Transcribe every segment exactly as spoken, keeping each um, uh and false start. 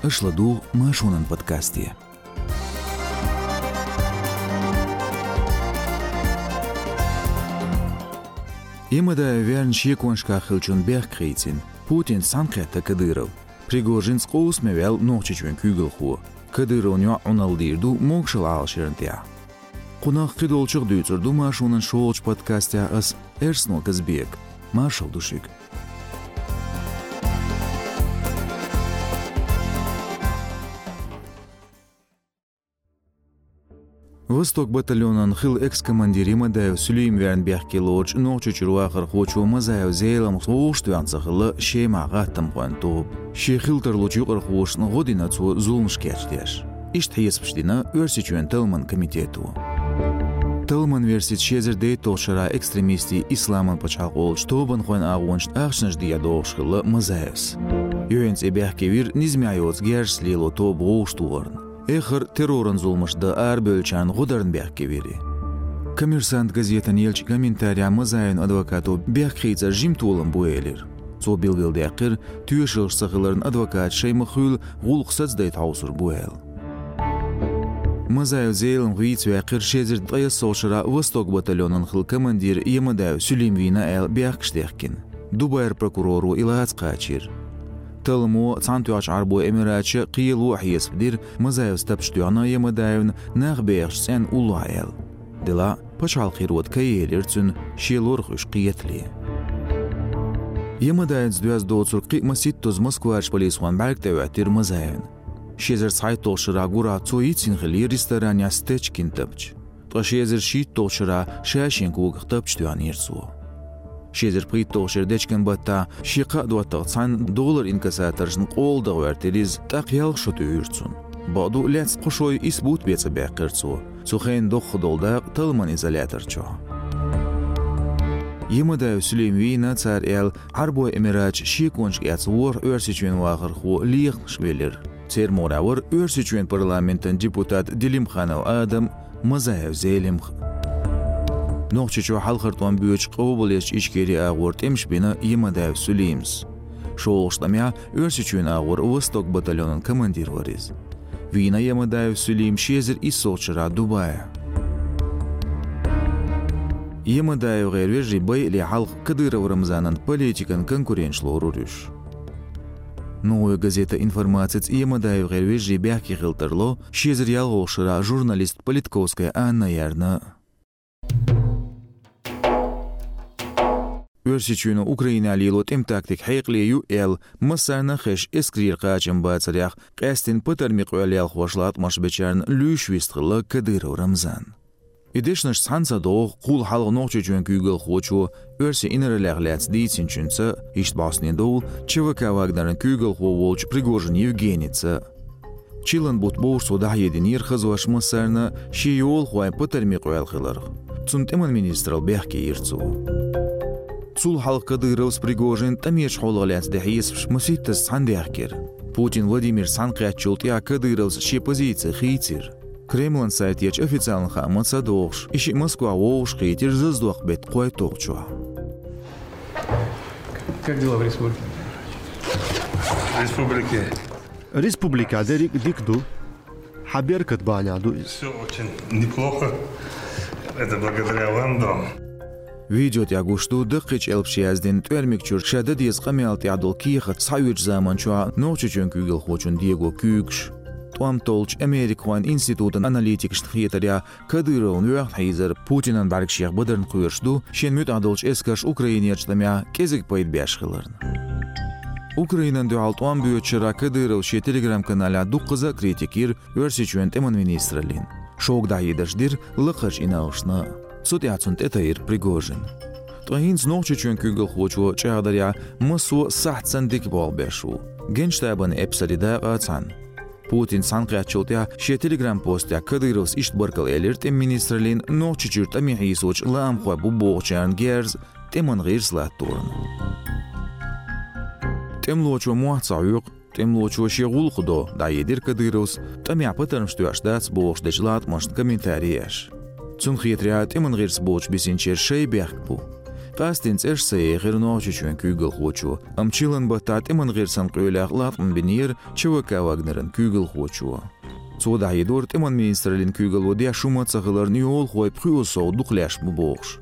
Аша ладугӀу Маршонан подкасте. Ямадаев верна шеконашкахь хиллачун бехк хийцина, Путинца цхьаьнакхетта Кадыров. Пригожинца къовсаме ваьлла Нохчийчоьнан куьйгалхо. Кадыровн йоӀ Ӏуналла дийр ду могашалла Ӏалашъярна тӀехь. Кхунах кхидолчух дуьйцур ду Маршонан шолгӀачу подкастехь ас, Эрсно Казбека. Маршалла ду шуьга. «Восток» батальонан хилла экс-командир Ямадаев Сулим верна бехке лоручу Нохчийчуьра вахархочо Мазаев Зеламхас вовшахтоьхна ца хилла Шемахь гӀаттамхойн тоба. Шен хила тарлучу юкъархошна гӀо дина цо зуламаш кечдеш. Иштта хьесапаш дина Оьрсийчоьнан талламан комитето. Талламан версица, ши эзар дейтталгӀачу шарахь экстремистийн Исламан пачхьалкх олучу тобанхойн агӀонашна ахчанаш дехьа догӀуш хилла Мазаевс. Юьхьанца и бехке вира низамехь йоцу герзашца лело тоба вовшахтохарна. Эххар терроран зуламаш дан арабевллачарна гӀо дарна бехке вира и. «Коммерсант» газетана еллачу комментарехь Мазаевн адвокато бехк хийцар жима толам бу элира. Цо билгалдаьккхира, тоьшаллаш ца хиларна адвокаташа шайн ма-хуьллу гӀуллакх сацадайта хьовсур бу аьлла. Мазаев Зеламха вийца ваьккхира ши эзар ткъаесналгӀачу шарахь «Восток» батальонан хилла командир Ямадаев Сулим вийна аьлла бехкаш дехкина. Дубайра прокуроро и лаца кхачийра. Талламо Цхьаьнатоьхначу Ӏарбойн Эмираташа, кхело а хьесап дира, Мазаевс тапча тоьхна Ямадаевна нах бехачу цӀенна уллохь аьлла. Делахь а, пачхьалкхан хьаькъале кхайкхийра цуьнан шен лорах уьш кхетале. Ямадаевца доьзна доцург кхин а масийттазза Москварчу полисхойн бӀаьрга тӀехӀоьттира Мазаевна. Ши эзар цхьайтталгӀачу шарахь гурахь цо йицйина хиллера ресторанехь Стечкин тапча. Ткъа ши эзар шийтталгӀачу шарахь ша шен когах тапча тоьхнера цо. Ши эзар пхийтталгӀачу шеран дечкен-баттахь шен кхаа доттагӀа цхьаьна доллар-инкассаторшна къола дан гӀоьртира иза, тӀаккха ялх шо туьйхира цунна. Бакъду, лаьцна кхо шо исс бутт бен ца баьккхира цо. Цу хенахь доккха долу дакъа талламан изолятор чохь. Ямадаев Сулим вийна, цара аьлла, Ӏарбойн Эмираташ шеконашка эцна ворхӀ Оьрсийчоьнан вахархо лехамаш велира. Церан мугӀарехь вара Оьрсийчоьнан парламентан депутат Делимханов Адам, Мазаев Зелимха. Нохчийчохь хьалхара тӀом боьдуш къобалъечу Ичкери агӀор тӀемаш бина Ямадаев Сулима. ШолгӀачу тӀамехь Оьрсийчоьнан агӀор «Восток» батальонан командир вара иза. Вийна Ямадаев Сулим ши эзар иссалгӀачу шарахь Дубае. ЯмадаевгӀеран вежарий байале хьалха Кадыров Рамзанан политикан конкуренташ лорура уьш. «Новая газета» информацица, ЯмадаевгӀеран вежарий бехке хила тарло ши эзар ялхалгӀачу шарахь журналист Политковская Анна ярна. Оьрсийчоьно Украинехь лело тӀеман тактика хьекъале ю аьлла, массарна а хезаш, эскарера кхачам бацарехь къаьстина патармийн къоьлла ялхош латкъамаш бечарна луьйш вистхилла Кадыров Рамзан. И дешнаш цхьаьна ца догӀу кхул хьалха Нохчийчоьнан куьйгалхочо оьрсийн инаралех лаьцна дийцинчуьнца, иштта бӀостанедовла ЧВК «Вагнеран» куьйгалхо волчу Пригожин Евгеница. Чиллан бутт бовш цо дӀахьединера хазош массарна, шен йолахойн патармийн къоьлла хиларх. Цунна тӀеман министралла бехке йира цо. Цул хьалха Кадыровс, Пригожинс тӀамечу хьолах лаьцна дина хьесапаш масийттазза цхьаьна даьхкира. Путин Владимирца цхьаьнакхеттачул тӀаьхьа Кадыровс шен позици хийцира. Кремлан сайтехь официалан хаамца догӀуш, и шиъ Москвахь вовшахкхийтира зазадоккху беттан кхойтталгӀачохь. Как дела в республике? В республике? Республикехь дерриг а дика ду. Хьан беркат бахьанехь ду иза. Все очень неплохо. Это благодаря вам, дом. Видео тӀехь гуш ду даккхийчу элпаша яздина тӀоьрмиг чуьра ша дан деза къамел тӀехь долу кехат схьаоьцучу заманчохь Нохчийчоьнан куьйгалхочун дего куьйгаш. ТӀом толлучу Америкахойн институтан аналитикашна хетарехь, Кадыровн воьхна хьийзар Путинан бӀаьргашех бадарна кхоьруш ду, шен муьтӀахь долчу эскарша Украинерчу тӀамехь кӀезиг пайда беш хиларна. Украинина дуьхьал тӀом боьдучу шарахь Кадыровс шен Telegram-каналехь дуккхаза а критика йира Оьрсийчоьнан тӀеман министраллин. Шога дӀахьедарш дира лакхарчу иналлашна. Цу тӀехь цунна тӀетайра Пригожин. Ткъа хӀинца Нохчийчоьнан куьйгалхочо чӀагӀдарехь, массо а сахьт санна дика болх беш ву. Генштабан эпсарийн дакъа а цхьаьна. Путинца цхьаьнакхеттачул тӀаьхьа шен Telegram-постехь Кадыровс иштта баркалла элира тӀеман министраллин Нохчийчуьра тӀаме хьийсочу лаамхой бу бохучарна герза тӀеман гӀирс латторна. ТӀемалочо мохь ца хьоькху, тӀемалочо шен гӀуллакх до, дӀахьедира Кадыровс, тӀамехь патармаш тоьуш дац бохуш дечу латкъамашна комментари еш. Цунна хетарехь, тӀеман гӀирс боцуш бисинчеран шайн бехк бу. Къаьстина цӀераш ца ехира Нохчийчоьнан куьйгалхочо, амма чиллан баттахь тӀеман гӀирсан къоьллех латкъам бинера ЧВК «Вагнеран» куьйгалхочо. Цо дӀахьедора тӀеман министраллин куьйгалло деш хӀума ца хиларна йолхой пхоьазза сов дукха леш бу бохуш.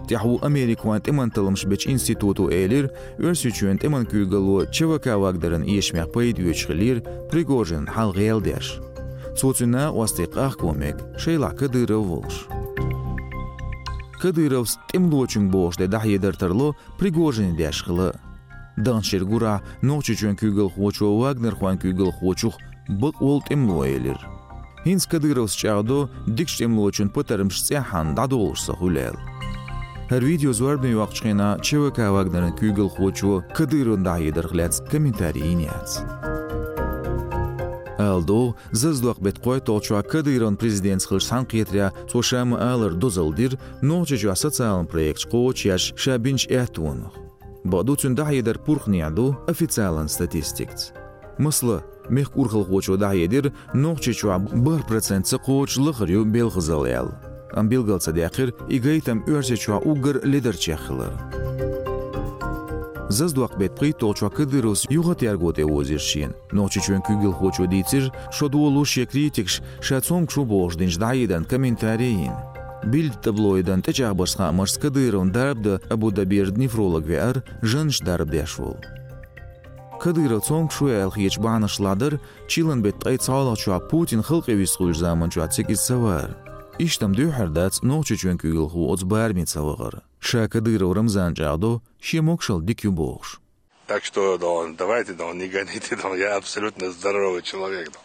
ТӀаьхьо Американ тӀеман талламаш бечу институто элира, Оьрсийчоьнан тӀеман куьйгалло ЧВК «Вагнеран» эшамех пайда оьцуш хиллера Пригожинна хьал гӀелдеш. Цо цуьнан накъостий къахко мега, шайлахь Кадыров волуш. Кадыровс тӀемалочуьнга бохуш де дӀахьедар тарло Пригожине деш хила. Даханчу шеран гурахь Нохчийчоьнан куьйгалхочо вагнерхойн куьйгалхочух бакъволу тӀемало элира. ХӀинца Кадыровс чӀагӀдо дикачу тӀемалочун патармаш цӀеххьана дӀадолуш ца хуьлу аьлла. ХӀара видео зорбане йоккхучу хенахь ЧВК «Вагнеран» куьйгалхочо Кадыровна дӀахьедарх лаьцна комментарий йина яц. Ала догӀу, Зазадоккху беттан кхойтталгӀачохь Кадыровна президентца хилча цхьаьнакхетарехь цо ша ма-аллара дозалла дира Нохчийчохь социалан проекташ кхочушъеш ша бинчу аьттонах. Бакъду, цуьнан дӀахьедар пурхнехь ду официалан статистикаца. Масала, мехкан урхалхочо дӀахьедира, Нохчийчохь бархӀ процент ца кхочуш лахара ю белхазалла аьлла. Амма билгал ца даьккхира и гайтам Оьрсийчохь уггар ледарчех хилар. Зазадоккху беттан пхийтталгӀачохь Кадыровс юхатерго тӀе озийра шена. Нохчийчоьнан куьйгалхочо дийцира, шо долуш шен критикаш ша цомгуш ву бохуш динчу дӀахьедарна комментарий йина. Билдина таблоидан тӀечӀагӀбарш хаамашца Кадыровна дарба дан Абу-Дабира нефролог веара, жаннаш дарба деш волу. Кадыров цомгуш ву аьлла хеташ бахьанаш ладар, чиллан беттан ткъе цхьалгӀачохь Путин халкъе вистхуьлучу заманчохь цига иза ца вахара. Иштта-м дуьххьара дац Нохчийчоьнан куьйгалхо оцу бараме ца вахара. Ша Кадыров Рамзана чӀагӀдо, шен могушалла дика ю бохуш. Так что, да, давайте, да, не гоните, да, я абсолютно здоровый человек, да.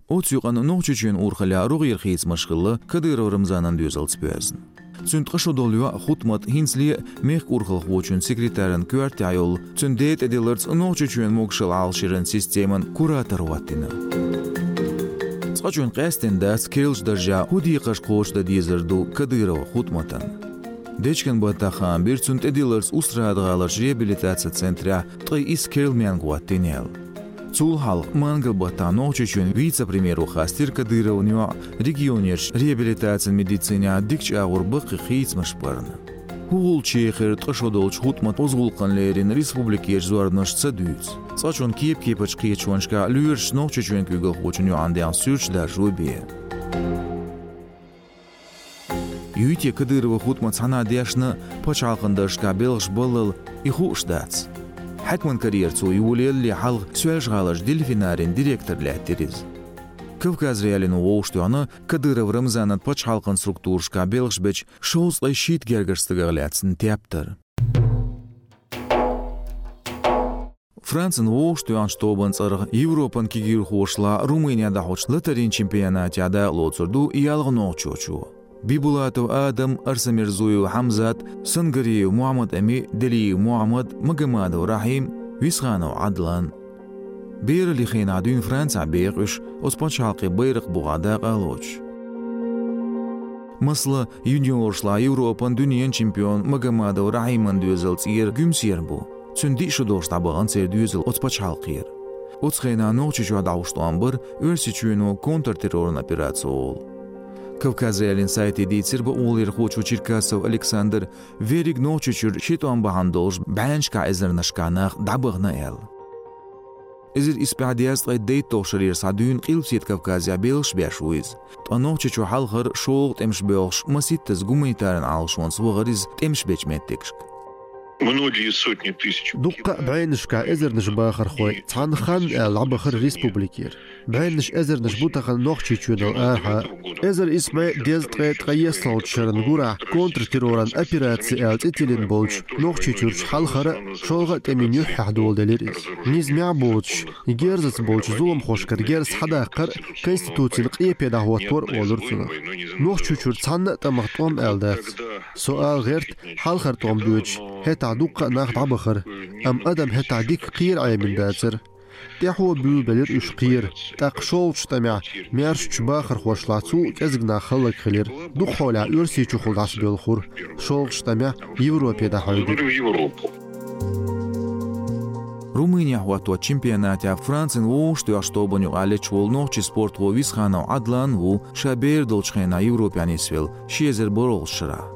Оцу юкъана Нохчийчоьнан урхаллехь рогӀера хийцамаш хилла Кадыров Рамзанан доьзалца боьзна. Цуьнан ткъа шо долу йоӀ Хутмат хӀинцале а мехкан урхалхочун секретаран коьртехь йолу, цуьнан ден тӀедилларца Нохчийчоьнан могушалла Ӏалашъяран системан куратор хӀоттийна. Цкъачунна къаьстина дац керлачу даржехь хӀун декхарш кхочушдан дезар ду Кадырова Хутматан. Дечкен баттахь хаам бира цунна тӀедилларца Устрада-ГӀаларчу реабилитацин центрехь ткъе исс керла маьнга хӀоттийна аьлла. Цул хьалха мангал баттахь Нохчийчоьнан вице-премьеро хастийра Кадыровн йоӀ регионерчу реабилитацин медицинехь дикачу агӀор баккхий хийцамаш барна. ХӀун гӀулч ехира ткъа шо долчу Хутматан оза гӀуллакхана лерина республикерчу зорбанаш ца дуьйцу. Цкъачунна кеп-кепачу кхеташонашкахь лоьрашца Нохчийчоьнан куьйгалхочун йоӀана дегӀан суьрташ даржо бен. Юй те Кадырова Хутмат цхьанхьа дешна пачхьалкхан даржашкахь белхаш баллал, и хууш дац. Хьаькаман карьера цо йолаялале хьалха Соьлжа-ГӀаларчу Дельфинарин директор лаьттира иза. Кавказ.Реалино вовшахтоьхна Кадыров Рамзанан пачхьалкхан структурашкахь белхаш бечу шовзткъе шийтта гергара стагах лаьцна тептар. Францин вовшахтоьхначу тобанан цӀарах Европан кегийрхошлахь Румыне дӀахьочу латарийн чемпионатехь дакъалоцур ду ялх нохчочо. Бибулатов Адам, Арсамирзуев Хьамзат, Сангариев Мухьаммад-Ами, Делиев Мухьаммад, Магомадов Рахьим, Висханов Ӏадлан. Бераллин хенахь дуьйна Францехь беха уьш, оцу пачхьалкхан байракх бухахь дакъа а лоцуш. Масала, юниоршлахь Европан, дуьненан чемпион Магомадов Рахьиман доьзал цӀера Гуьмсера бу. Цуьнан диъ шо долуш дӀабахана церан доьзал оцу пачхьалкхера. Оцу хенахь Нохчийчохь дӀахьош тӀом бара Оьрсийчоьно контртерроран операци олу. Кавказ.Реалин сайте дийцира бакъоларъярхочо Черкасов Александра, верриг Нохчийчуьра ши тӀом бахьана долуш бӀеннашкахь эзарнашкахь нах дӀабахана аьлла. Эзар исс бӀе дезткъе дейтталгӀачу шарера схьа дуьйна Къилбаседа Кавказехь белхаш беш ву иза. Ткъа Нохчийчу хьалхара шолгӀа тӀемаш боьлхуш маситтаза гуманитаран Ӏалашонца вахара иза тӀемаш бечу меттигашка. Многие сотни тысяч. Дуккха а бӀеннашкахь эзарнаш бахархой цхьана ханна аьлла дӀабахара республикера. БӀеннаш эзарнаш бу тахана Нохчийчоьнал арахьа. Эзар исс бӀе дезткъе ткъайоьсналгӀачу шеран гурахь контртерроран операци аьлла цӀе тиллина болчу Нохчийчуьрчу хьалхара а, шолгӀа а тӀемийн юьххьехь доладелира иза. Низамехь а боцуш, герзаца болчу зуламхошкара герз схьадаккхар а, конституцина къепе дӀахӀоттор а олура цунах. Нохчийчуьра цхьанна а тӀамах тӀом аьлла дац. Со ала гӀерта, хьалхара тӀом боьдуш, хӀетахь дуккха а нах дӀабахара, амма адам хӀетахь дика кхера Ӏемина дацара. ТӀаьхьо буьйлабелира уьш кхера, тӀаккха шолгӀачу тӀамехь маьршачу бахархошлахь цул а кӀезиг нах хӀаллакьхилира. Дукха хьолехь Оьрсийчухула дӀасабоьлхура, шолгӀачу тӀамехь Европе дӀахьоьгура. Румынехь хӀотточу чемпионатехь Францин вовшахтоьхначу тобанна юкъахь леташ волу нохчийн спортхо Висханов Ӏадлан ву ша бер долчу хенахь Европехь нисвелла, ши эзар бархӀалгӀачу шарахь.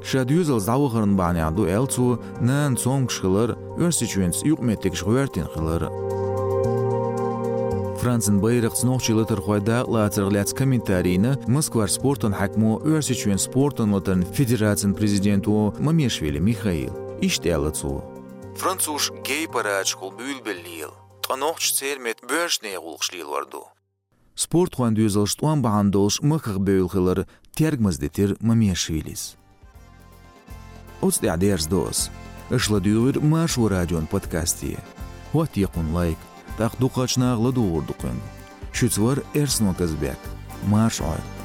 Ша доьзалца дӀавахарна бахьанехь ду, аьлла цо, нана цомгуш хилар, Оьрсийчоьнца юкъаметтигаш гӀоьртина хилар. Францин байракхца нохчийн латархой дакъалацарх лаьцна комментарий йина Москвара спортан хьаькамо, Оьрсийчоьнан спортан латаран федерацин президенто Мамешвили Михаила. Иштта аьлла цо: «Французаш гей-парадашкахула буьйлабелла лела, ткъа нохчаша церан метта боьрша нехан гӀуллакхаш лелор ду». Спортхойн доьзалш тӀом бахьана долуш махках бевлла хилар тергамза дитира Мамешвилис. Оцу тӀехь дерзадо ас. Аша ладуьйгӀира Маршо радион подкасте. ХӀоттае кхунна лайк, тӀаккха дукхахчу наха ладугӀур ду кхуьнга. Шуьца вара Эрсно Казбек. Марша Ӏойла.